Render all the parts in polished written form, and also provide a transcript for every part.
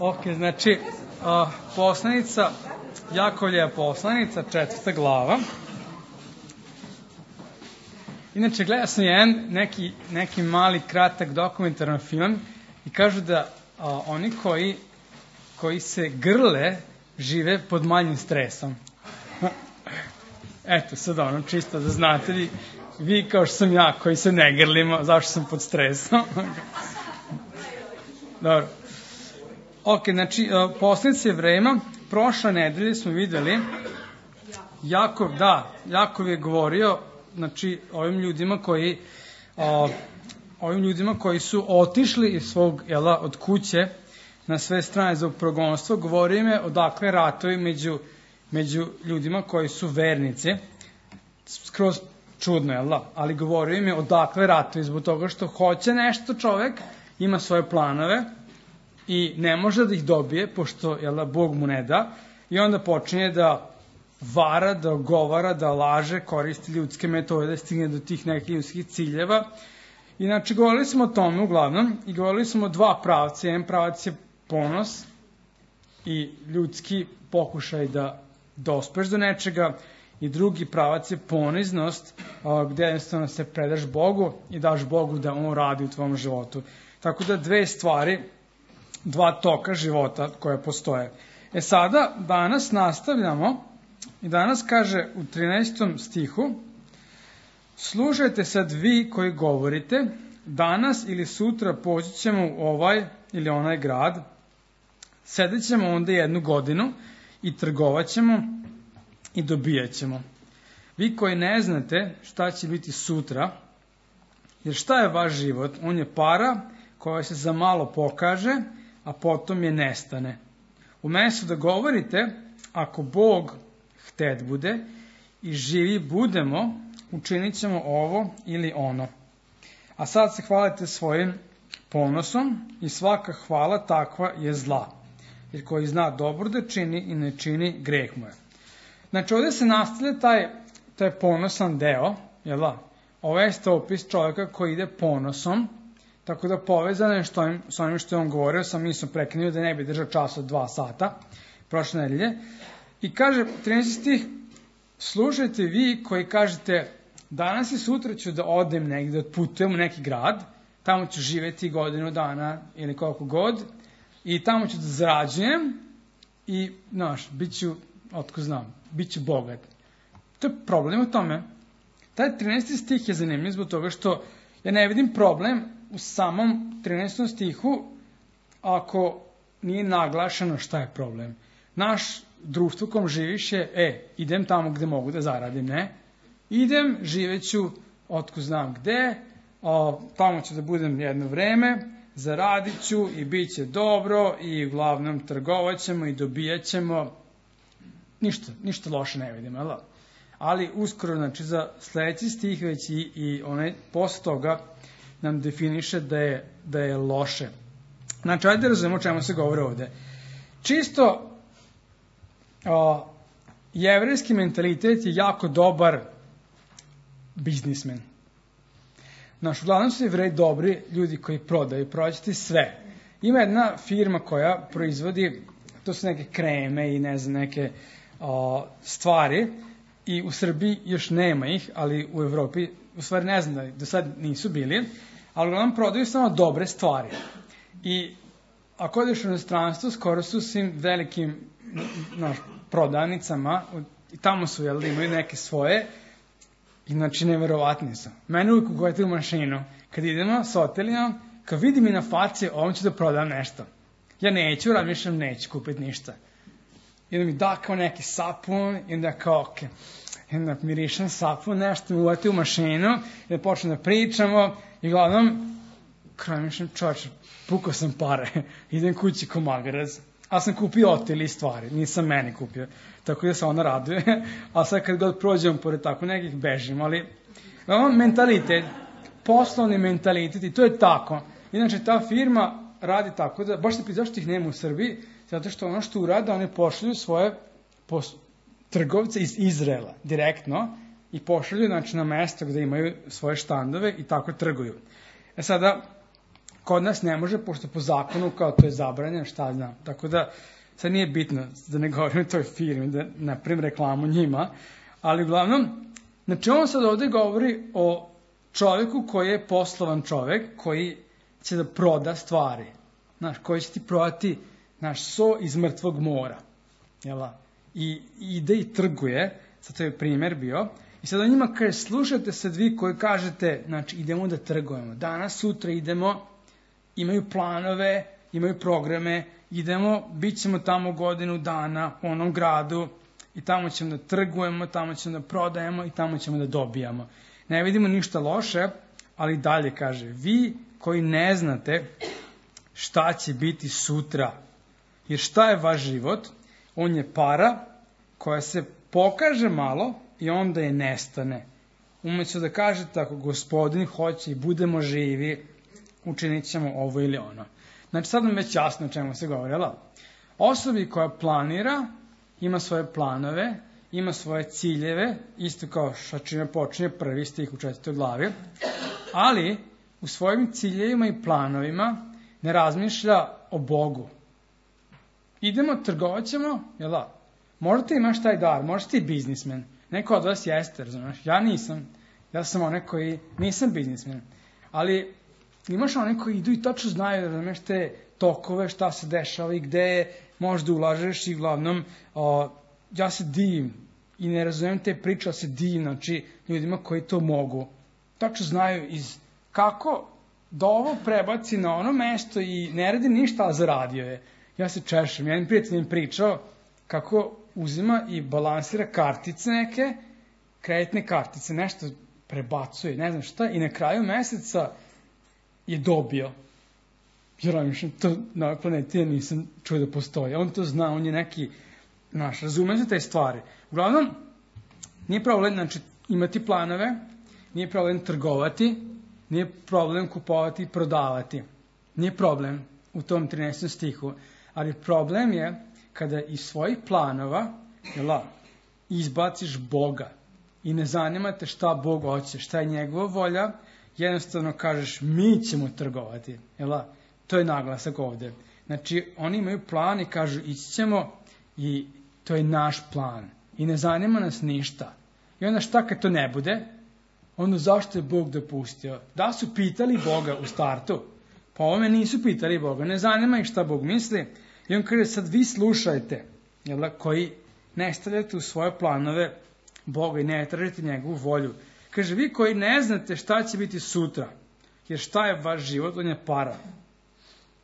Ok, znači, poslanica, Jakovljeva poslanica, 4. glava. Inače, gledao sam jedan neki mali, kratak dokumentaran film i kažu da oni koji se grle žive pod manjim stresom. Eto, sad ono, čisto da znate vi kao što sam ja, koji se ne grlimo, zašto sam pod stresom. Dobro. Ok, znači, poslanica Jevrejima, prošle nedelje smo videli, Jakov je govorio, znači, ovim ljudima koji su otišli iz svog, od kuće na sve strane zbog progonstva, govorio im je odakle ratovi među ljudima koji su vernici, skroz čudno, ali govorio im je odakle ratovi, zbog toga što hoće nešto čovek, ima svoje planove i ne može da ih dobije, pošto Bog mu ne da, i onda počinje da vara, da ogovara, da laže, koristi ljudske metode, da stigne do tih nekih ljudskih ciljeva. Inače, govorili smo o tome uglavnom i govorili smo o dva pravca. Jedan pravac je ponos i ljudski pokušaj da dospeš do nečega, i drugi pravac je poniznost, gde jednostavno se predaš Bogu i daš Bogu da On radi u tvom životu. Tako da dve stvari, dva toka života koje postoje. Sada, danas nastavljamo i danas kaže u 13. stihu: slušajte sad vi koji govorite, danas ili sutra poći ćemo u ovaj ili onaj grad, sedit ćemo onda 1 godinu i trgovat ćemo i dobijat ćemo. Vi koji ne znate šta će biti sutra, jer šta je vaš život? On je para koja se za malo pokaže, a potom je nestane. Umesto da govorite, ako Bog htet bude i živi budemo, učinit ćemo ovo ili ono. A sad se hvalite svojim ponosom i svaka hvala takva je zla. Jer koji zna dobro da čini i ne čini, greh mu je. Znači, ovdje se nastavlja taj ponosan deo, ovo je opis čovjeka koji ide ponosom, tako da povezano je s onim što je on govorio, sam nisam prekinuo da ne bi držao čas od 2 sata, prošle nedelje. I kaže, 13. stih, slušajte vi koji kažete, danas i sutra ću da odem negdje, da otputujem u neki grad, tamo ću živjeti 1 godinu dana ili koliko god, i tamo ću da zarađujem i, bit ću, otko znam, bit ću bogat. To je problem u tome. Taj 13. stih je zanimljiv zbog toga što ja ne vidim problem u samom 13. stihu ako nije naglašeno šta je problem. Naš društvo kom živiš je, idem tamo gde mogu da zaradim, ne? Idem, živeću, otko znam gde, tamo ću da budem jedno vreme, zaradit ću i bit će dobro i uglavnom trgovat ćemo i dobijat ćemo. Ništa loše ne vidim, ali uskoro, znači, za sledeći stih već i onaj posle toga nam definiše da je loše. Znači, ajde razumemo o čemu se govori ovde. Čisto jevrejski mentalitet je jako dobar biznismen. Uglavnom su Jevreji dobri ljudi koji prodaju, prodaćete sve. Ima jedna firma koja proizvodi, to su neke kreme i ne znam, neke stvari, i u Srbiji još nema ih, ali u Evropi, u stvari ne znam da do sad nisu bili, ali uglavnom prodaju samo dobre stvari. I ako odeš u inostranstvo, skoro su svim velikim prodavnicama, i tamo su, imaju neke svoje, i znači neverovatni su. Mene uvijek ugojete u mašinu, kad idemo s hoteljom, kad vidim i na faci, ovom ću da prodam nešto. Ja neću, razmišljam, neću kupiti ništa. I onda mi da kao neki sapun, i onda kao, ok, i onda mirišem sapun, nešto mi uvati u mašinu, i da počnem da pričamo, i uglavnom, razmišljam, čovječe, pukao sam pare, idem kući ko magarac, ali sam kupio oteli stvari, nisam meni kupio, tako da se ona raduje, a sad kad god prođem pored tako nekih bežim, ali mentalitet, poslovni mentalitet, i to je tako. Inače, ta firma radi tako da, baš se pita zašto ih nema u Srbiji, zato što ono što urada, oni pošalju svoje trgovce iz Izraela direktno i pošalju, znači, na mesto gde imaju svoje štandove i tako trguju. Sada, Kod nas ne može, pošto po zakonu kao to je zabranjeno, šta znam. Tako da, sad nije bitno da ne govorim o toj firmi, da napravim reklamu njima, ali uglavnom, znači on sad ovde govori o čovjeku koji je poslovan čovjek, koji će da proda stvari, znaš, koji će ti prodati, znaš, so iz mrtvog mora, jela? I ide i trguje, sad to je primjer bio, i sad on njima kaže, slušajte sad vi koji kažete, znači, idemo da trgujemo, danas, sutra idemo, imaju planove, imaju programe, idemo, bit ćemo tamo godinu dana u onom gradu i tamo ćemo da trgujemo, tamo ćemo da prodajemo i tamo ćemo da dobijamo. Ne vidimo ništa loše, ali dalje kaže, vi koji ne znate šta će biti sutra, jer šta je vaš život? On je para koja se pokaže malo i onda je nestane. Umesto da kažete, ako gospodin hoće i budemo živi, učinit ćemo ovo ili ono. Znači, sad nam već jasno o čemu se govorila. Osobi koja planira, ima svoje planove, ima svoje ciljeve, isto kao što čime počinje prvi stih u 4. glavi, ali u svojim ciljevima i planovima ne razmišlja o Bogu. Idemo, trgovat ćemo, jel da? Možda ti imaš taj dar, možda ti biznismen. Neko od vas jeste, razumiješ? Ja nisam. Ja sam onaj koji nisam biznismen. Ali imaš one koji idu i tačno znaju, razumiješ, te tokove, šta se dešava i gde možda ulažeš i uglavnom ja se divim i ne razumijem te priče, ali se divim, znači, ljudima koji to mogu. Tačno znaju kako da ovo prebaci na ono mesto i ne radi ništa, a zaradio je. Ja se češem. Jedan prijatelj im pričao kako uzima i balansira kartice neke, kreditne kartice, nešto prebacuje, ne znam šta, i na kraju meseca je dobio. Jer to na planeti ja nisam čuo da postoji. On to zna, on je neki, razume se te stvari. Uglavnom, nije problem, znači, imati planove, nije problem trgovati, nije problem kupovati i prodavati. Nije problem u tom 13. stihu. Ali problem je kada iz svojih planova izbaciš Boga i ne zanima te šta Bog hoće, šta je njegova volja, jednostavno kažeš mi ćemo trgovati. To je naglasak ovde. Znači, oni imaju plan i kažu ići ćemo i to je naš plan. I ne zanima nas ništa. I onda šta kad to ne bude? Onda zašto je Bog dopustio? Da su pitali Boga u startu? Pa ovome nisu pitali Boga. Ne zanima ih šta Bog misli. I on kaže, sad vi slušajte, koji ne stavljate u svoje planove Boga i ne tražite njegovu volju. Kaže, vi koji ne znate šta će biti sutra, jer šta je vaš život, on je para.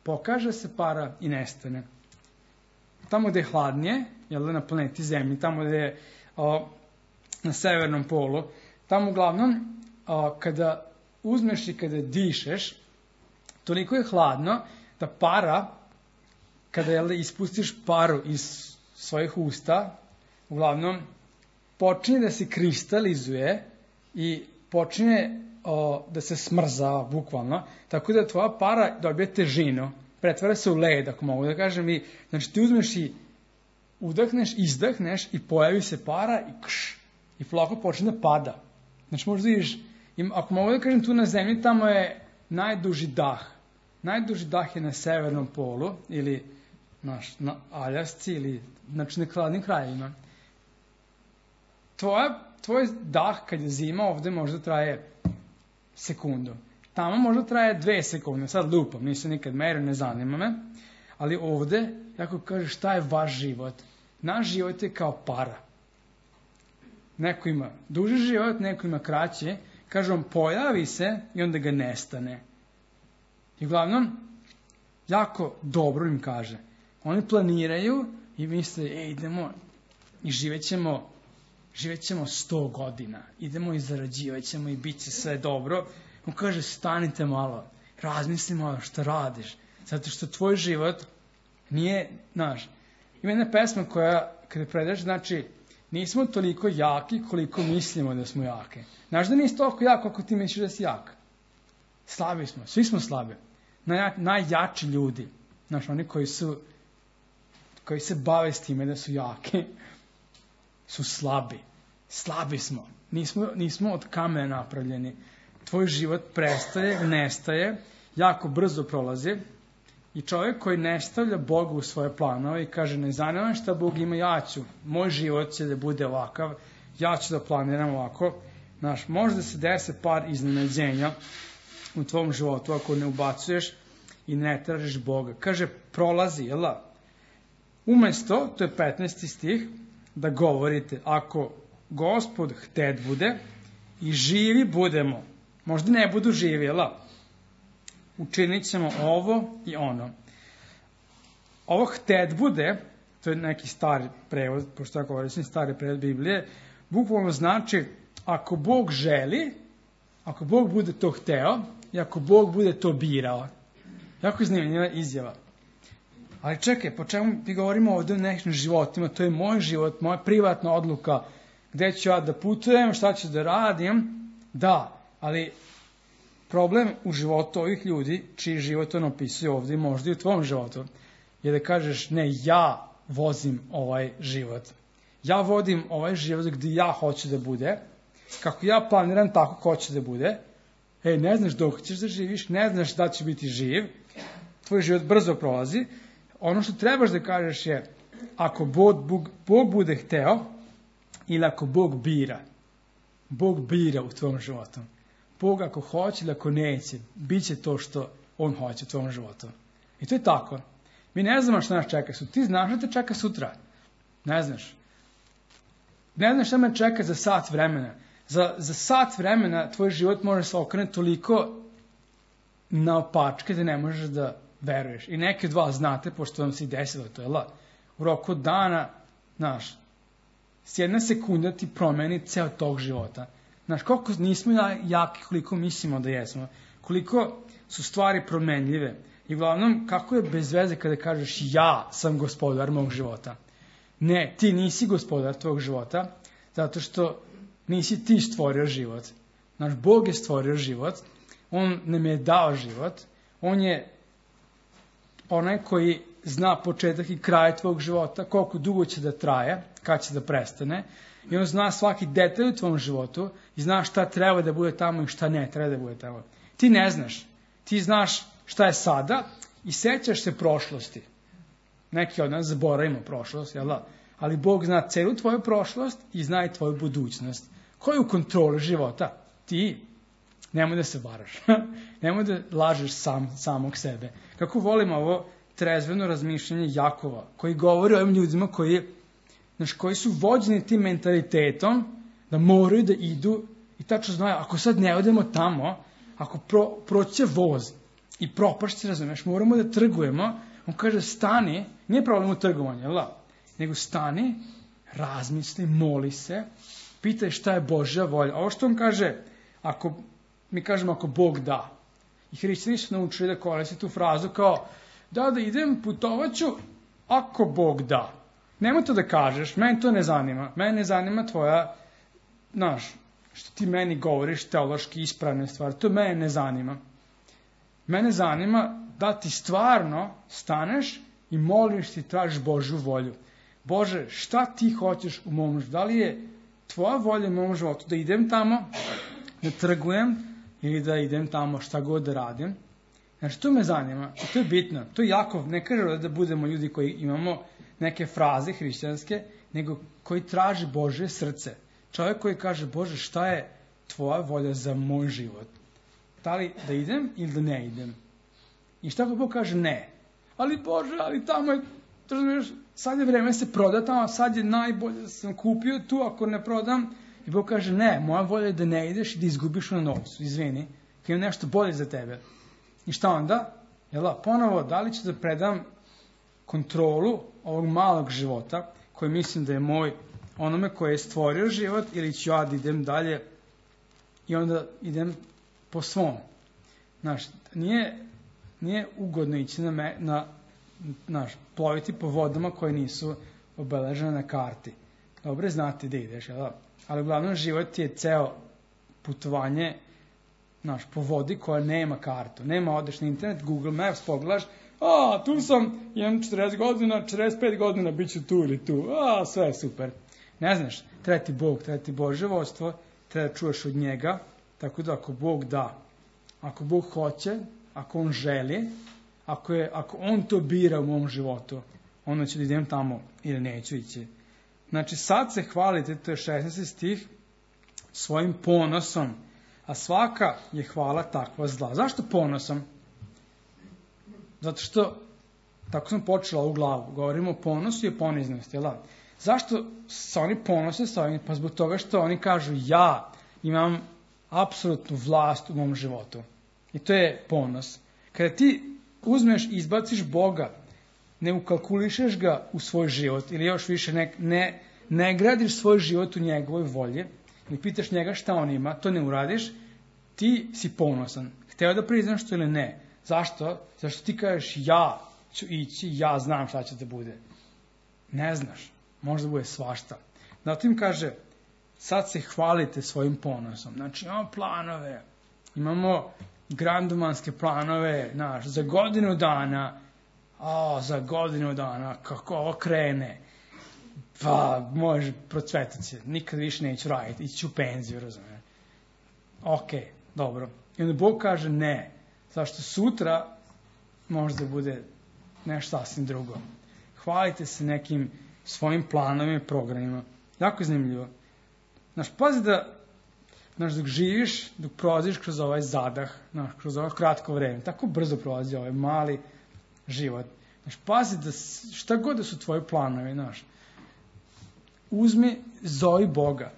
Pokaže se para i nestane. Tamo gde je hladnije, na planeti Zemlji, tamo gde je na severnom polu, tamo uglavnom, kada uzmeš i kada dišeš, toliko je hladno da para, kada ispustiš paru iz svojih usta, uglavnom počinje da se kristalizuje i počinje da se smrzava, bukvalno, tako da tvoja para dobije težinu, pretvara se u led, ako mogu da kažem, i znači ti uzmeš i udahneš, izdahneš i pojavi se para i kš, i polako počne da pada. Znači možda vidiš, ako mogu da kažem, tu na zemlji tamo je najduži dah. Najduži dah je na severnom polu, ili na Aljasci, ili znači na hladnim krajevima. Tvoj dah kad je zima ovde možda traje sekundu. Tamo možda traje 2 sekunde. Sad lupam, nisam nikad merio, ne zanima me. Ali ovde, jako kaže šta je vaš život. Naš život je kao para. Neko ima duži život, neko ima kraći. Kaže on, pojavi se i onda ga nestane. I uglavnom, jako dobro im kaže. Oni planiraju i misle, idemo i živet ćemo 100 godina. Idemo i zarađivat ćemo i bit će sve dobro. On kaže, stanite malo, razmisli malo što radiš. Zato što tvoj život nije naš. Ima jedna pesma koja, kada predaš, znači, nismo toliko jaki koliko mislimo da smo jake. Znaš da nisi toliko jak koliko ti misliš da si jak. Slabi smo, svi smo slabi. Najjači ljudi, znaš, oni koji se bave s time da su jaki, su slabi. Slabi smo. Nismo od kamena napravljeni. Tvoj život prestaje, nestaje jako brzo prolazi i čovjek koji ne stavlja Boga u svoje planove i kaže ne zanima šta Bog ima, ja ću, moj život će da bude ovakav, ja ću da planiram ovako. Znaš, možda se desi par iznenađenja u tvom životu ako ne ubacuješ i ne tražiš Boga. Kaže, prolazi, jel da? Umesto, to je 15. stih, da govorite, ako Gospod htet bude i živi budemo, možda ne budu živi, jel da? Učinit ćemo ovo i ono. Ovo htet bude, to je neki stari prevod, pošto ja koristim stari prevod Biblije, bukvalno znači, ako Bog želi, ako Bog bude to hteo i ako Bog bude to birao. Jako zanimljiva izjava. Ali čekaj, po čemu mi govorimo ovdje o nekim životima, to je moj život, moja privatna odluka, gde ću ja da putujem, šta ću da radim, da, ali problem u životu ovih ljudi, čiji život on opisuje ovdje, možda i u tvom životu, je da kažeš, ne, ja vozim ovaj život. Ja vodim ovaj život gdje ja hoću da bude, kako ja planiram, tako hoću da bude. Ne znaš dok ćeš da živiš, ne znaš da će biti živ, tvoj život brzo prolazi. Ono što trebaš da kažeš je, ako Bog bude hteo, ili ako Bog bira u tvom životu. Bog ako hoće ili ako neće, bit će to što on hoće u tvom životu. I to je tako. Mi ne znamo što nas čeka sutra. Ti znaš da te čeka sutra. Ne znaš. Ne znaš šta me čeka za sat vremena. Za sat vremena tvoj život može se okrenuti toliko naopačke da ne možeš da veruješ. I neke dva znate, pošto vam se i desilo to, jel? U roku dana, znaš, s jedna sekunda ti promeni ceo tog života. Znaš, koliko nismo jaki, koliko mislimo da jesmo. Koliko su stvari promenljive. I uglavnom, kako je bez veze kada kažeš ja sam gospodar mog života. Ne, ti nisi gospodar tvog života, zato što nisi ti stvorio život. Naš Bog je stvorio život, on nam je dao život, on je onaj koji zna početak i kraj tvog života, koliko dugo će da traje, kad će da prestane, i on zna svaki detalj u tvom životu i zna šta treba da bude tamo i šta ne treba da bude tamo. Ti ne znaš, ti znaš šta je sada i sećaš se prošlosti. Neki od nas zaboravimo prošlost, jel da? Ali Bog zna celu tvoju prošlost i zna i tvoju budućnost. Ko je u kontroli života? Ti. Nemoj da se varaš. Nemoj da lažeš samog sebe. Kako volim ovo trezveno razmišljanje Jakova, koji govori o ovim ljudima koji su vođeni tim mentalitetom da moraju da idu i tačno znaju, ako sad ne odemo tamo, ako proće voz i propašće, razumeš, moramo da trgujemo. On kaže, stani, nije problem u trgovanju, jel da? Nego stani, razmisli, moli se, pitaj šta je Božja volja. Ovo što on kaže, mi kažemo ako Bog da. I hrišćani su naučili da koriste tu frazu kao, da idem, putovaću, ako Bog da. Nemoj to da kažeš, meni to ne zanima. Mene ne zanima tvoja, što ti meni govoriš, teološki ispravne stvari, to mene ne zanima. Mene zanima da ti stvarno staneš i moliš ti, tražiš Božju volju. Bože, šta ti hoćeš u mom životu? Da li je tvoja volja u mom životu da idem tamo, da trgujem ili da idem tamo šta god da radim? Znači, to me zanima i to je bitno. To je jako, ne kaže da budemo ljudi koji imamo neke fraze hrišćanske, nego koji traži Božje srce. Čovjek koji kaže, Bože, šta je tvoja volja za moj život? Da li da idem ili da ne idem? I šta Bog kaže? Ne. Ali Bože, ali tamo je, razumiješ, sad je vreme se proda tamo, sad je najbolje da sam kupio tu, ako ne prodam. I Bog kaže, ne, moja volja je da ne ideš i da izgubiš na novcu, izvini, kad imam nešto bolje za tebe. I šta onda? Ponovo, da li ću da predam kontrolu ovog malog života, koji mislim da je moj, onome koji je stvorio život, ili ću ja da idem dalje i onda idem po svom. Znaš, nije ugodno ići ploviti po vodama koje nisu obeležene na karti. Dobro znati da ideš, ali uglavnom život je ceo putovanje po vodi koja nema kartu. Nema, odeš na internet, Google Maps, pogledaš, tu sam, imam 40 godina, 45 godina, bit ću tu ili tu, sve je super. Ne znaš, treba ti Bog, treba ti Božje vodstvo, treba da čuješ od njega, tako da ako Bog da, ako Bog hoće, ako on želi, ako on to bira u mom životu, onda ću da idem tamo ili neću ići. Znači, sad se hvalite, to je 16. stih, svojim ponosom, a svaka je hvala takva zla. Zašto ponosom? Zato što, tako sam počela u glavu, govorimo o ponosu i o poniznosti, jel? Zašto se oni ponose sa ovim? Pa zbog toga što oni kažu, ja imam apsolutnu vlast u mom životu. I to je ponos. Kada ti uzmeš i izbaciš Boga, ne ukalkulišeš ga u svoj život, ili još više ne gradiš svoj život u njegovoj volji, ne pitaš njega šta on ima, to ne uradiš, ti si ponosan. Hteo da priznaš to ili ne? Zašto? Zašto ti kažeš, ja ću ići, ja znam šta će da bude. Ne znaš. Možda bude svašta. Zatim kaže, sad se hvalite svojim ponosom. Znači, imamo planove, imamo grandumanske planove, za godinu dana, kako ovo krene, pa može procvetati se, nikad više neću raditi, ići ću u penziju, razumijem. Ok, dobro. I onda Bog kaže ne, zašto sutra možda bude nešto sasvim drugo. Hvalite se nekim svojim planovima i programima. Jako zanimljivo. Pazi da, dok živiš, dok prolaziš kroz ovaj zadah, kroz ovo kratko vreme, tako brzo prolazi ovaj mali život. Pazi da šta god da su tvoji planovi, uzmi, zovi Boga.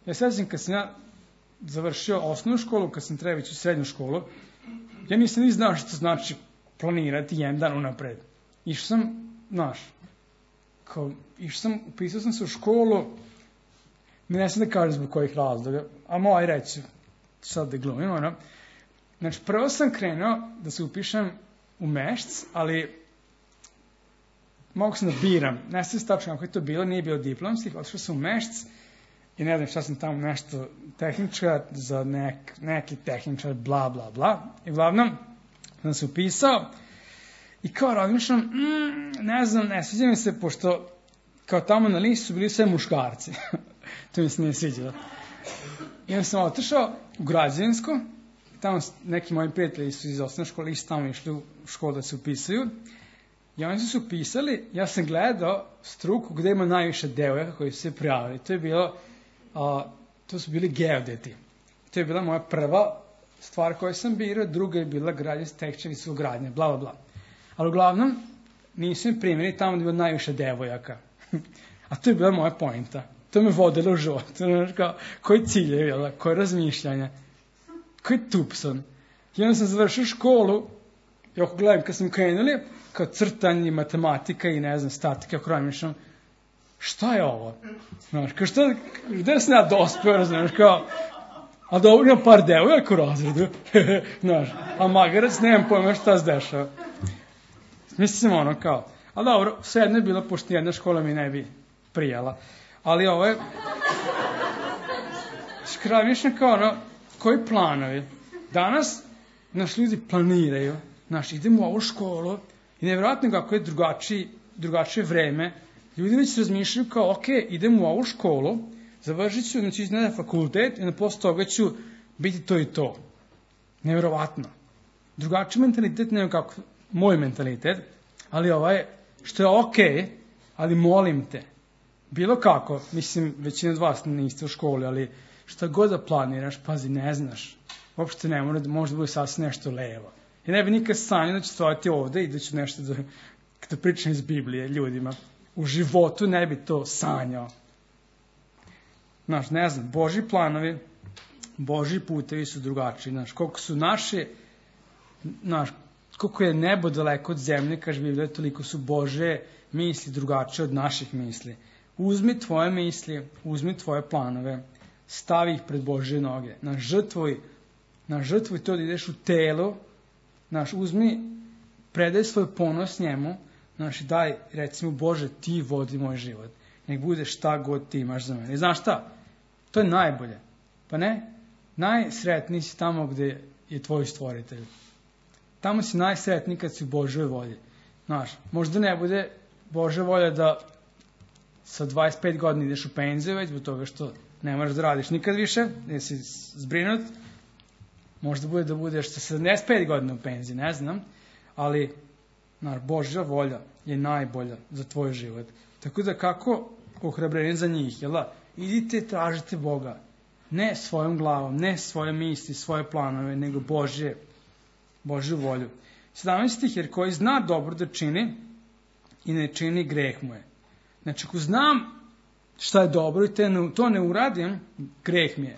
Ja sećam kad sam ja završio osnovnu školu, kad sam trebao ići u srednju školu, ja nisam ni znao što znači planirati jedan dan unapred. Išao sam, upisao sam se u školu, ne sam da kažem zbog kojih razloga, a moj reći, sad da glumim, Znači, prvo sam krenuo da se upišem u Mešc, ali mogu sam da biram. Ne znam tačno kako je to bilo, nije bilo diplomskih, otišao sam u Mešc i ne znam šta sam tamo nešto tehničar, za neki tehničar, bla, bla, bla. I uglavnom, sam se upisao i kao razmišljam, ne sviđa mi se, pošto kao tamo na listu su bili sve muškarci. To mi se nije sviđalo. I onda sam otišao u Građevinsko, tamo neki moji prijatelji su iz osnovne škole, isto tamo išli u školu da se upisuju. I oni su se upisali, ja sam gledao struku gde ima najviše devojaka koji su se prijavili. To su bili geodeti. To je bila moja prva stvar koju sam birao, druga je bila tehnička visokogradnja, bla, bla, bla. Ali uglavnom, nisu mi primjeri tamo gde je bilo najviše devojaka. A to je bila moja pointa. To me vodilo u život. Koji ciljevi, koje razmišljanja, koji tupson. I onda sam završio školu, i ako gledam kad sam krenuli, kao crtanje, matematika i statika, ako razmišljam, šta je ovo? Gde sam ja dospeo, a dobro imam par devojaka u razredu, a magarac nemam pojma šta se dešava. Mislim ali dobro, sve jedno je bilo, pošto jedna škola mi ne bi prijala. Ali ovo je, razmišljam koji planovi? Danas naši ljudi planiraju, idemo u ovu školu i nevjerojatno kako je drugačije vreme, ljudi već razmišljaju ok, idemo u ovu školu, završit ću, iznad fakultet i posle toga ću biti to i to. Nevjerojatno. Drugačiji mentalitet nego kako moj mentalitet, ali što je ok, ali molim te, bilo kako, mislim, većina od vas niste u školi, ali šta god da planiraš, pazi, ne znaš, uopšte ne mora, možda bude sasvim nešto levo. Ja ne bi nikad sanjao da ću stojati ovde i da ću nešto da pričam iz Biblije ljudima. U životu ne bi to sanjao. Ne znam, Božji planovi, Božji putevi su drugačiji. Koliko su naše, koliko je nebo daleko od zemlje, kaže Biblija, toliko su Božje misli drugačije od naših misli. Uzmi tvoje misli, uzmi tvoje planove, stavi ih pred Božje noge. Žrtvuj to da ideš u telo, uzmi, predaj svoj ponos njemu, daj, recimo, Bože, ti vodi moj život. Nek bude šta god ti imaš za mene. I znaš šta? To je najbolje. Pa ne? Najsretniji si tamo gde je tvoj stvoritelj. Tamo si najsretniji kad si u Božoj volji. Možda ne bude Božja volja da sa 25 godina ideš u penziju, već zbog toga što ne moraš da radiš nikad više, jer si zbrinut. Možda bude da budeš sa 75 godina u penziji, ne znam, ali Božja volja je najbolja za tvoj život. Tako da kako ohrabrenje za njih, jel da? Idite, tražite Boga. Ne svojom glavom, ne svoje misli, svoje planove, nego Božju volju. 17 stih, jer koji zna dobro da čini i ne čini, greh mu je. Znači, ako znam šta je dobro i to ne uradim, greh mi je.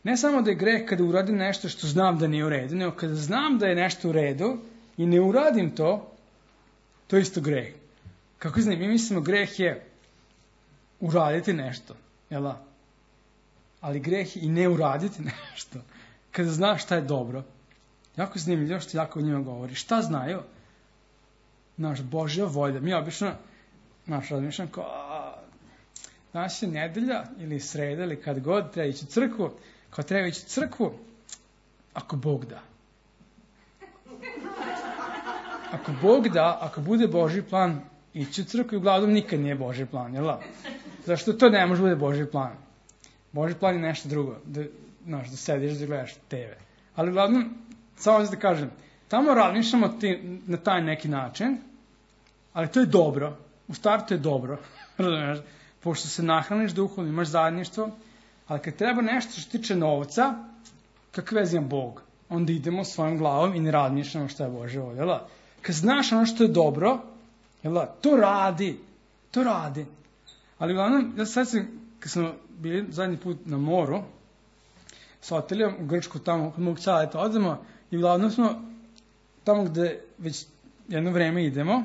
Ne samo da je greh kada uradim nešto što znam da nije u redu, nego kada znam da je nešto u redu i ne uradim to, to je isto greh. Kako znam, mi mislimo greh je uraditi nešto, jel da? Ali greh je i ne uraditi nešto. Kada znaš šta je dobro. Jako zanimljivo što jako o njima govori. Šta znaju? Božja volja. Mi obično, razmišljam kao, danas je nedelja ili sreda ili kad god treba ići u crkvu. Kao treba ići u crkvu, ako Bog da. Ako Bog da, ako bude Božji plan, ići u crkvu i uglavnom nikad nije Božji plan, jel da? Zašto to ne može bude Božji plan? Božji plan je nešto drugo, da sediš da gledaš TV. Ali uglavnom, samo da kažem, tamo razmišljamo na taj neki način, ali to je dobro. U startu je dobro, razumiješ? Pošto se nahraniš duhovno, imaš zajedništvo, ali kad treba nešto što tiče novca, kakve veze ima Bog? Onda idemo svojom glavom i ne razmišljamo šta je Božja volja, jel? Kad znaš ono što je dobro, jel, to radi. Ali uglavnom, ja sad sam, kad smo bili zadnji put na moru, s hoteljom u Grčku, tamo kod mog caleta odemo, i uglavnom smo tamo gde već jedno vreme idemo,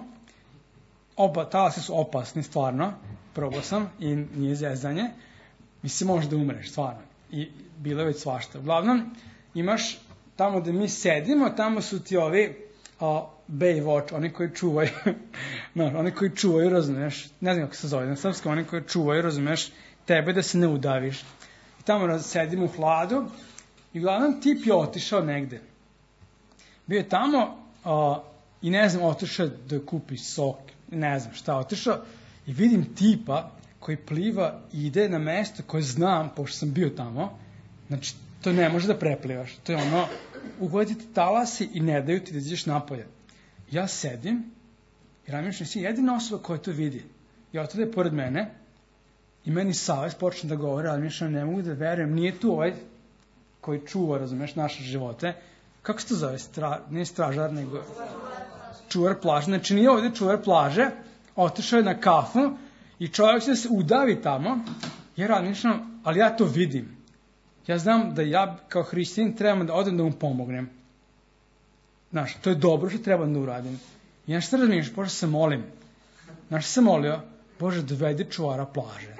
talasi su opasni, stvarno, probao sam i nije zezanje, mislim, možeš da umreš, stvarno, i bilo je već svašta. Uglavnom, imaš tamo gde mi sedimo, tamo su ti ovi Baywatch, oni koji čuvaju, oni koji čuvaju, razumeš, ne znam kako se zove na srpskom, oni koji čuvaju, razumeš, tebe da se ne udaviš. I tamo sedimo u hladu i uglavnom tip je otišao negde. Bio je tamo i ne znam, otišao da kupi sok, ne znam šta, otišao i vidim tipa koji pliva i ide na mesto koje znam, pošto sam bio tamo, znači to ne može da preplivaš, to je ono, uhvatiti talasi i ne daju ti da izađeš napolje. Ja sedim i razmišljam, si jedina osoba koja to vidi. I otode pored mene i meni savest počne da govori, ali razmišljam, ne mogu da verujem, nije tu ovaj koji čuva, razumeš, naše živote. Kako se to zove? Nije stražar, nego čuvar plaže. Znači nije ovdje čuvar plaže, otišao je na kafu i čovjek će se udavi tamo. Ja razmišljam, ali ja to vidim. Ja znam da ja kao hrišćanin trebam da odem da mu pomognem. Znaš, to je dobro što trebam da uradim. I ja što razmišljam, Bože, se molim. Znaš, se molio, Bože, dovedi čuvara plaže.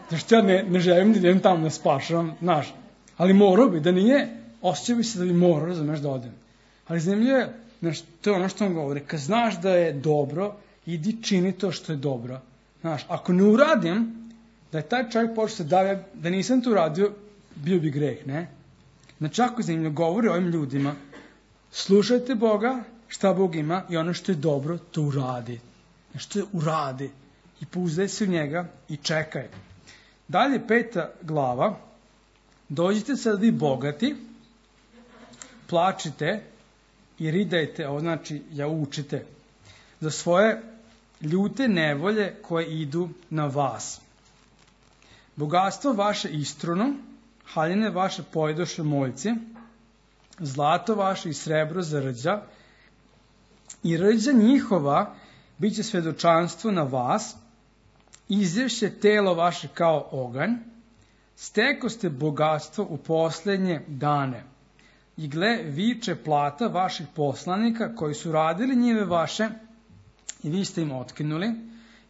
Zašto ja ne želim da idem tamo da spašavam, znaš. Ali morao bi, da nije, osjećao bi se da bi morao, razumeš, da odem. Ali zanimljivo je, znaš, to je ono što on govori. Kad znaš da je dobro, idi čini to što je dobro. Znaš, ako ne uradim, da je taj čovjek počeo da nisam to uradio, bio bi greh, ne? Znači, ako zanimljivo govori ovim ljudima, slušajte Boga, šta Bog ima i ono što je dobro, to uradi. Što je uradi. I pouzdaj se u njega i čekaj. Dalje, 5. glava. Dođite sad vi bogati, plačite i ridajte, ovo znači jaučite, za svoje ljute nevolje koje idu na vas. Bogatstvo vaše istruno, haljine vaše pojedoše moljci, zlato vaše i srebro za rđa, i rđa njihova bit će svedočanstvo na vas, izješće telo vaše kao oganj, steko ste bogatstvo u posljednje dane. I gle, viče plata vaših poslanika koji su radili njive vaše i vi ste im otkinuli.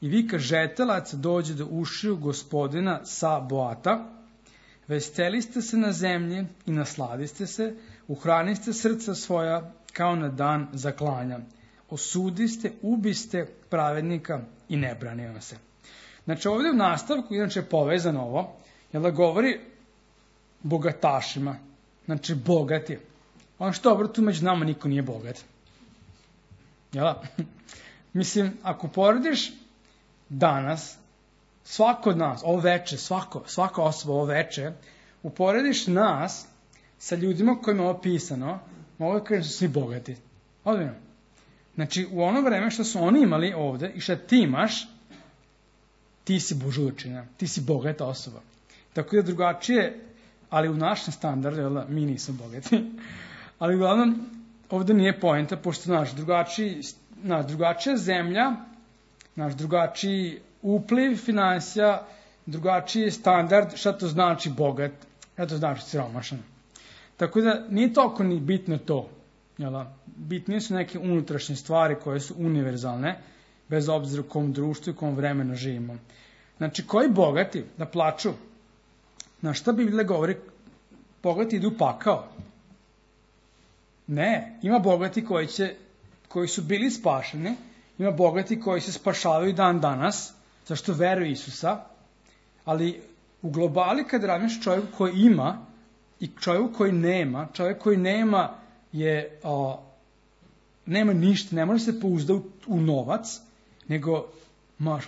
I vika žetelac dođe do ušiju gospodina sa Boata. Veseliste se na zemlji i nasladiste se, uhraniste srca svoja kao na dan zaklanja. Osudiste, ubiste pravednika i ne brani vam se. Znači ovdje u nastavku, inače je povezano ovo, jer da govori bogatašima, znači bogati. Ono što dobro, tu među nama niko nije bogat. Jel? Mislim, ako porediš danas, svako od nas, ovo veče, svaka osoba ovo veče, uporediš nas sa ljudima kojima je ovo pisano, mogu da kažem da su svi bogati. Odmjeno. Znači, u ono vreme što su oni imali ovde i što ti imaš, ti si bužurčina, ti si bogata osoba. Tako da drugačije, ali u našem standardu, mi nismo bogati, ali uglavnom, ovde nije poenta, pošto drugačija zemlja, drugačiji upliv finansija, drugačiji standard, šta to znači bogat, šta to znači siromašan. Tako da nije toliko ni bitno to. Bitnije su neke unutrašnje stvari koje su univerzalne, bez obzira u kom društvu i kom vremenu živimo. Znači, koji bogati da plaču? Na šta Biblija govori? Bogati idu u pakao. Ne, ima bogati koji su bili spašeni, ima bogati koji se spašavaju dan danas, zašto veruju Isusa, ali u globali kad radiš čovjeku koji ima i čovjeku koji nema, čovjek koji nema nema ništa, ne može se pouzdati u novac, nego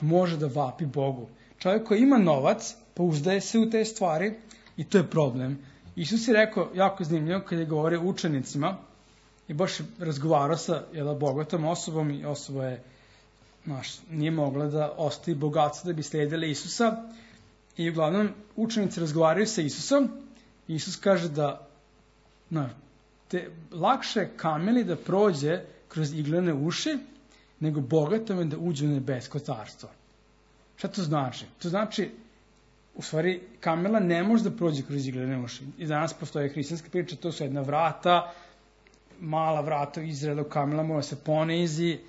može da vapi Bogu. Čovjek koji ima novac, pouzdaje se u te stvari i to je problem. Isus je rekao, jako zanimljivo, kada je govorio učenicima, i baš razgovarao sa bogatom osobom i osoba je, nije mogla da ostavi bogatstvo da bi slijedila Isusa. I uglavnom učenici razgovaraju sa Isusom i Isus kaže da lakše je kameli da prođe kroz iglene uši nego bogatome da uđe u nebesko carstvo. Šta to znači? To znači, u stvari, kamela ne može da prođe kroz iglene uši. I danas postoje hrišćanska priča, to su jedna vrata, mala vrata u Izraelu, kamela mora se ponizi.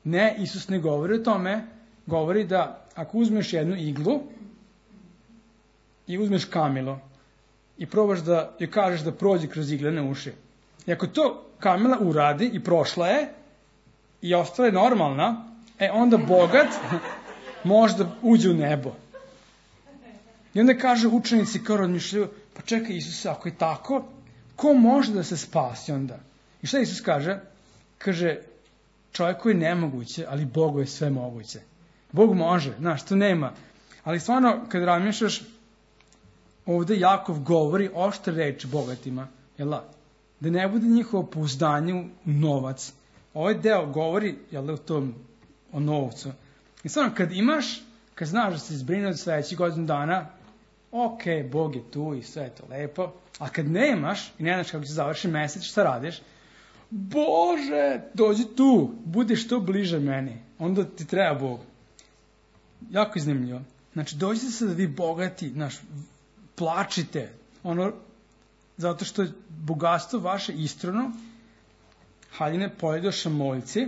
Ne, Isus ne govori o tome, govori da ako uzmeš jednu iglu i uzmeš kamelu i probaš da joj kažeš da prođe kroz iglene uši, i ako to kamela uradi i prošla je i ostala je normalna, onda bogat može da uđe u nebo. I onda kaže učenici kao razmišljaju, pa čekaj Isuse, ako je tako, ko može da se spasi onda? I šta Isus kaže? Kaže, čovjeku je nemoguće, ali Bogu je sve moguće. Bog može, to nema. Ali stvarno, kad razmišljaš, ovde Jakov govori oštre reči bogatima, da ne bude njihovo pouzdanje u novac. Ovaj deo govori, o novcu. I stvarno, kad imaš, kad znaš da se zbrine od sledećih godinu dana, ok, Bog je tu i sve je to lepo, a kad nemaš i ne znaš kako će završi mesec, šta radiš? Bože, dođi tu, budi što bliže meni, onda ti treba Bog. Jako iznimljivo. Znači, dođite se da vi bogati, plačite, zato što je bogatstvo vaše istrono, haljine pojedoša moljci,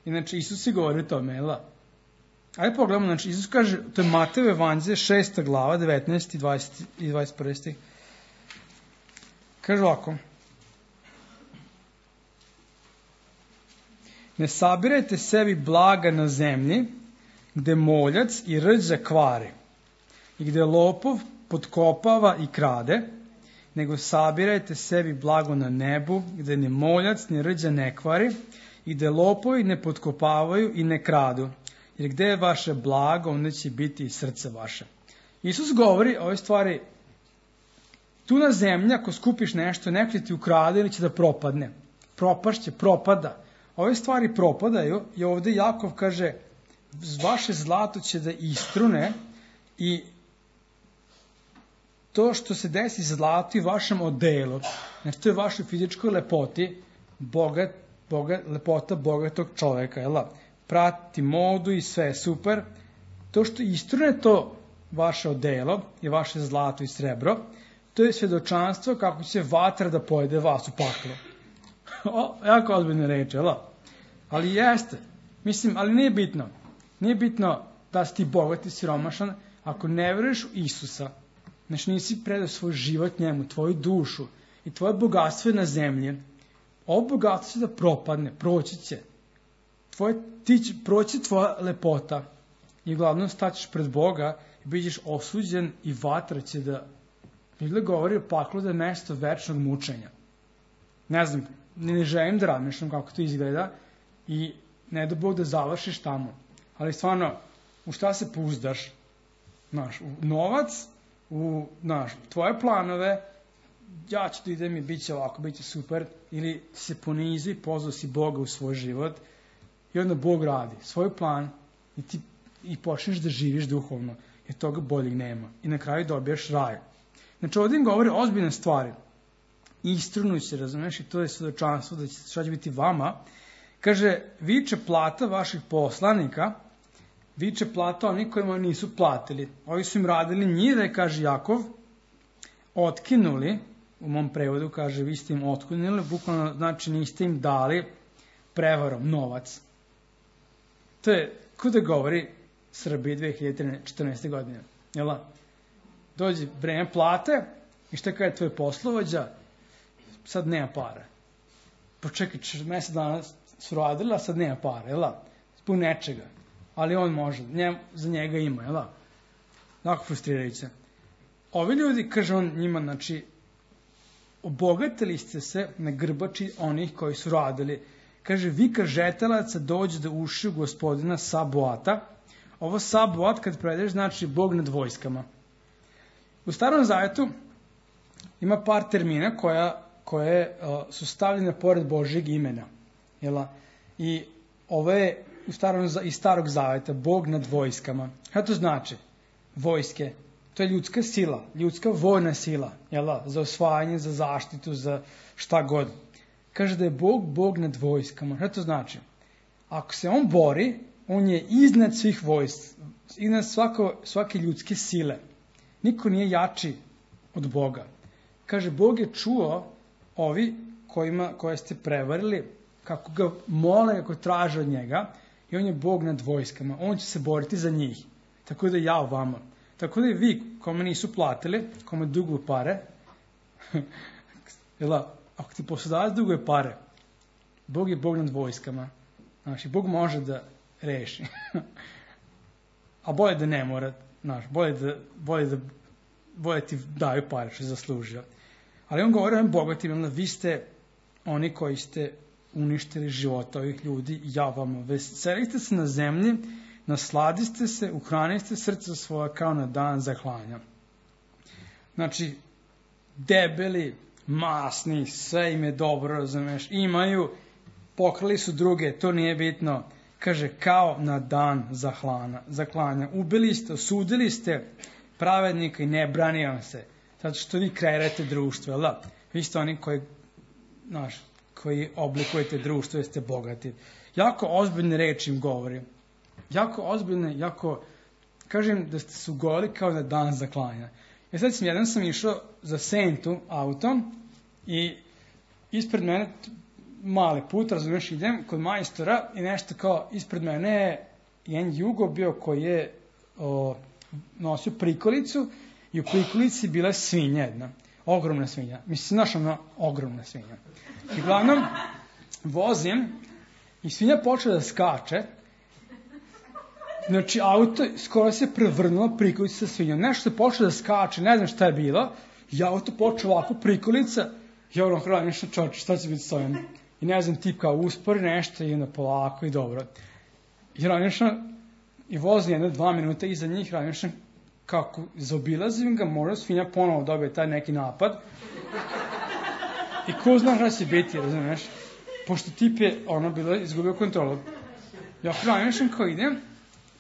inače Isus je govori o tome, Ajde pogledamo, Isus kaže, to je Matejevo evanđelje, 6. glava, 19. i 21. stih. Kaže ovako, ne sabirajte sebi blaga na zemlji, gde moljac i rđa kvari, i gde lopov potkopava i krade, nego sabirajte sebi blago na nebu, gde ni moljac ni rđa ne kvari, i gde lopovi ne potkopavaju i ne kradu. Jer gde je vaše blago, onda će biti i srce vaše. Isus govori o ovoj stvari, tu na zemlji, ako skupiš nešto, neko će ti ukrade ili će da propadne. Propašće, propada. Ove stvari propadaju i ovde Jakov kaže, vaše zlato će da istrune i to što se desi zlato i vašem odelu, znači to je vašoj fizičkoj lepoti, lepota bogatog čoveka, prati modu i sve je super. To što istrune to vaše odelo i vaše zlato i srebro, to je svjedočanstvo kako će vatra da pojede vas u paklu. Jako ozbiljne reči, ali jeste. Mislim, ali nije bitno. Nije bitno da si ti bogat i siromašan ako ne veruješ u Isusa. Znači nisi predao svoj život njemu, tvoju dušu i tvoje bogatstvo je na zemlji. Ovo bogatstvo će da propadne, proći će. Proći tvoja lepota i uglavnom staćeš pred Boga i bićeš osuđen i vatra će da... Biblia govori o paklu da je mesto večnog mučenja. Ne znam, ne želim da razmišljam kako to izgleda i ne da Bog da završiš tamo. Ali stvarno, u šta se pouzdaš? U novac tvoje planove, ja ću da idem i bit će ovako, bit će super, ili se ponizi, pozvao si Boga u svoj život i onda Bog radi svoj plan i počneš da živiš duhovno, jer toga boljeg nema. I na kraju dobijaš raj. Znači ovdje im govori ozbiljne stvari. Istrunuj se, razumeš, i to je svedočanstvo da šta će biti vama. Kaže, viče plata vaših poslanika, viče plata oni kojima nisu platili. Ovi su im radili njive, kaže Jakov, otkinuli, u mom prevodu kaže, vi ste im otkinuli, bukvalno znači niste im dali prevarom novac. To je, kuda govori Srbiji 2014. godine. Jel? Dođe vreme plate i šta kaže tvoj poslovođa, sad nema para. Počekaj, mesec dana su radili, a sad nema para, jel? Zbog nečega. Ali on može, za njega ima, jel? Tako frustrirajuće. Ovi ljudi, kaže on njima, znači, obogatili ste se na grbači onih koji su radili. Kaže, vika žetelaca dođe da uši u gospodina Saboata. Ovo Saboat, kad prevedeš, znači Bog nad vojskama. U Starom Zavetu ima par termina koje su stavljene pored Božjeg imena. Jela? I ovo je iz Starog Zaveta, Bog nad vojskama. Šta to znači? Vojske. To je ljudska sila, ljudska vojna sila. Jela? Za osvajanje, za zaštitu, za šta god. Kaže da je Bog nad vojskama. Šta to znači? Ako se on bori, on je iznad svih vojsk, iznad svake ljudske sile. Niko nije jači od Boga. Kaže, Bog je čuo ovi koje ste prevarili, kako ga mole, kako traže od njega, i on je Bog nad vojskama. On će se boriti za njih. Tako da ja vama. Tako da i vi, kome nisu platili, kome duguju pare, ako ti poslodavac duguje pare, Bog je Bog nad vojskama. Znači, Bog može da reši. A bolje da ne mora. Znači, bolje ti daju pare što je zaslužio. Ali on govori o ovim bogatima, vi ste oni koji ste uništili života ovih ljudi, ja vam veselite se na zemlji, nasladiste se, uhraniste srce svoje kao na dan zaklanja. Znači, debeli, masni, sve im je dobro, razumeš, imaju, pokrali su druge, to nije bitno. Kaže, kao na dan zaklanja. Ubili ste, osudili ste pravednika i ne brani vam se. Zato što vi kreirate društvo, jel da? Vi ste oni koji oblikujete društvo, jeste bogati. Jako ozbiljne reči im govori. Jako ozbiljne, kažem da ste se ugojili kao na dan zaklanja. Jedan sam išao za Sentu autom i ispred mene mali put, razumiješ, idem kod majstora i nešto kao ispred mene je jedan Jugo bio koji je nosio prikolicu i u prikolici bila svinja jedna. Ogromna svinja. Mislim, znaš ono, ogromna svinja. I uglavnom, vozim i svinja počela da skače. Znači, auto skoro se prevrnulo prikolica sa svinjom. Nešto je počelo da skače, ne znam šta je bilo. I auto počeo ovako prikolica. I ono hrana nešto čoče, šta će biti s ovim? I ne znam, tip kao uspori nešto i onda polako i dobro. I ranično, i vozi 1-2 minuta iza njih, ranično, kako zaobilazim ga, možda svinja ponovo dobije taj neki napad. I ko zna šta će biti, razumiješ? Pošto tip je, bilo izgubio kontrolu. Ja ranično kao idem,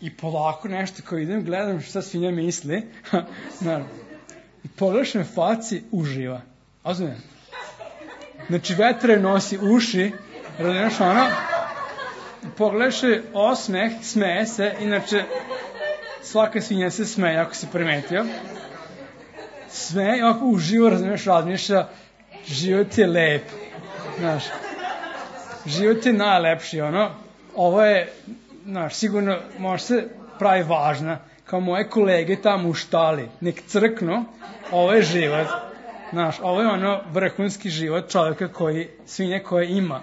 i polako nešto kao idem, gledam šta svinja misli. I pogledaš me faci, uživa. Razumijem? Znači, vetre nosi uši, razumiješ pogledaš je osmeh, smeje se, inače svaka svinja se smeje, ako si primetio. Smeje, ako uživo, razumiješ, razmišlja, život je lep, znaš, život je najlepši, ovo je, znaš, sigurno može se pravi važna, kao moje kolege tamo u štali, nek crknu, ovo je život. Znaš, ovo je vrhunski život čovjeka svinje koje ima.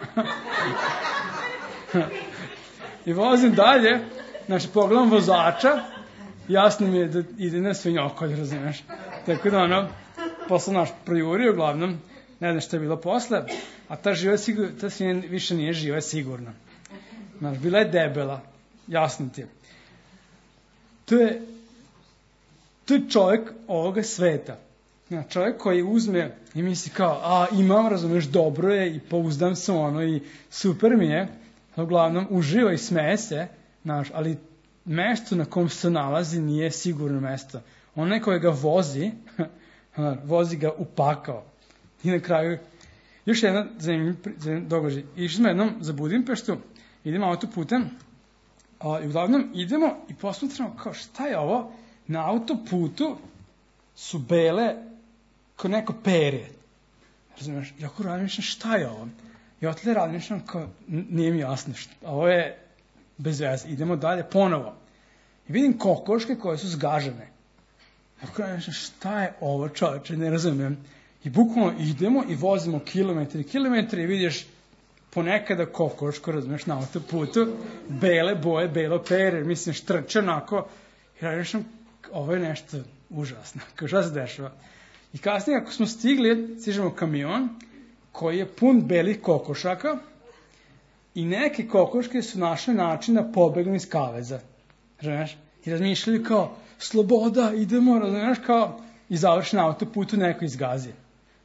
I vozim dalje, znači pogledam vozača, jasno mi je da ide na svinjokolj, razumiješ. Tako da posle projurio, uglavnom, ne znam što je bilo posle, a ta svinja više nije živa sigurno. Znaš, bila je debela, jasno ti je. To je To je čovjek ovoga sveta. Čovjek koji uzme i misli kao, imam, razumeš, dobro je i pouzdam se i super mi je, uglavnom uživa i smeje se, ali mesto na kom se nalazi nije sigurno mesto. Onaj koji ga vozi, vozi ga u pakao. I na kraju, još jedan zanimljiv događaj. Išli smo jednom za Budimpeštu, idemo autoputem, i uglavnom idemo i posmatramo kao šta je ovo, na autoputu su bele kao neko perje. Razumiješ, jako razmišljam šta je ovo. I otle razmišljam kao, nije mi jasno, ovo je bez veze, idemo dalje ponovo. I vidim kokoške koje su zgažene. Jako razmišljam šta je ovo, čovječe, ne razumijem. I bukvalno idemo i vozimo kilometre i vidiš ponekada kokoško, razumiješ, na autoputu, bele boje, belo perje, mislim, štrče onako. I razmišljam, ovo je nešto užasno, kao šta se dešava. I kasnije, ako smo stižemo kamion koji je pun belih kokošaka i neke kokoške su našle način da pobegnu iz kaveza. Razumiješ? I razmišljaju kao, sloboda, idemo, razumiješ, kao i završi na autoputu neko izgazi.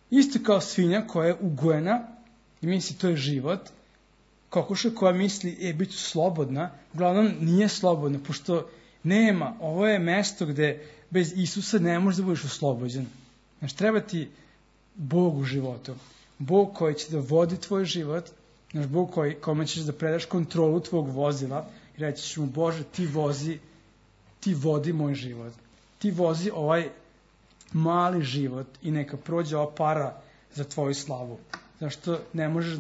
Isto kao svinja koja je ugojena i misli to je život. Kokoša koja misli, bit ću slobodna, uglavnom nije slobodna, pošto nema, ovo je mesto gde bez Isusa ne možeš da budeš oslobođen. Znači, treba ti Bog u životu. Bog koji će da vodi tvoj život, znači Bog kome ćeš da predaš kontrolu tvog vozila i reći ćeš mu, Bože, ti vodi moj život. Ti vozi ovaj mali život i neka prođe ova para za tvoju slavu. Zašto ne možeš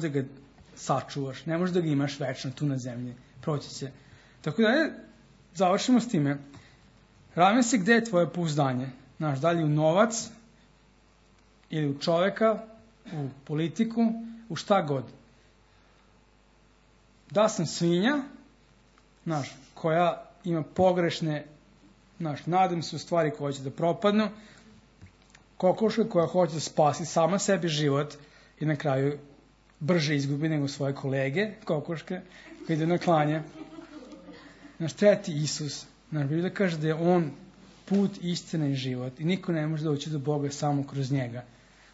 da ga sačuvaš, ne možeš da ga imaš večno tu na zemlji. Proći će. Tako da završimo s time. Ravim se gde je tvoje pouzdanje. Znaš, da li u novac ili u čoveka, u politiku, u šta god. Da sam svinja, znaš, koja ima pogrešne, znaš, nadam se u stvari koje će da propadnu, kokoška koja hoće da spasi sama sebi život i na kraju brže izgubi nego svoje kolege, kokoške, koji ide na klanje. Znaš, treba ti Isus. Znaš, Biblija kaže da je on put, istina i život i niko ne može doći do Boga samo kroz njega.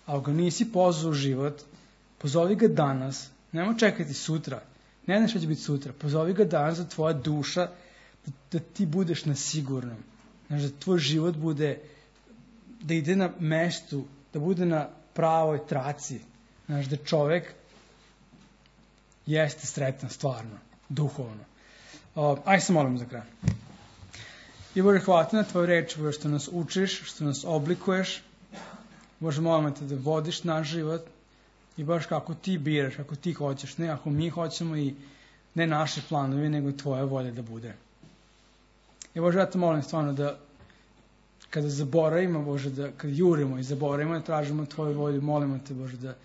A ako ga nisi pozvao u život, pozovi ga danas, nemoj čekati sutra, ne znaš šta će biti sutra, pozovi ga danas da tvoja duša, da ti budeš na sigurnom. Znaš, da tvoj život bude, da ide na mestu, da bude na pravoj traci. Znaš, da čovek jeste sretan stvarno, duhovno. Aj se molim za kraj. I Bože, hvala ti na tvoju reč, Bože, što nas učiš, što nas oblikuješ. Bože, molim te da vodiš naš život i baš kako ti biraš, kako ti hoćeš, ne ako mi hoćemo i ne naše planovi, nego tvoja volja da bude. I Bože, ja te molim stvarno da kada zaboravimo, Bože, da kada jurimo i zaboravimo, da tražimo tvoju volju, molimo te, Bože, da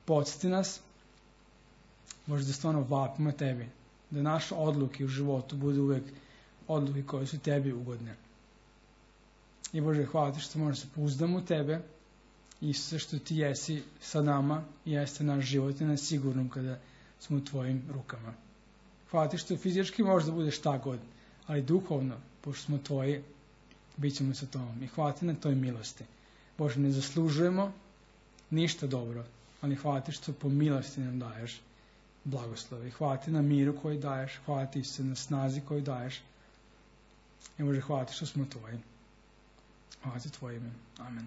podsjeti nas, Bože, da stvarno vapimo tebi, da naše odluke u životu budu uvek odluke koje su tebi ugodne. I Bože, hvala ti što možeš se pouzdamo u tebe i sve što ti jesi sa nama i jeste naš život i nas sigurnom kada smo u tvojim rukama. Hvala ti što fizički možeš da budeš šta god, ali duhovno, pošto smo tvoji, bit ćemo sa tobom. I hvala ti na toj milosti. Bože, ne zaslužujemo ništa dobro, ali hvala ti što po milosti nam daješ blagoslove. Hvala ti na miru koji daješ, hvala ti se na snazi koju daješ. I Bože, hvala ti što smo tvoji. Hvala ti tvoje ime. Amen.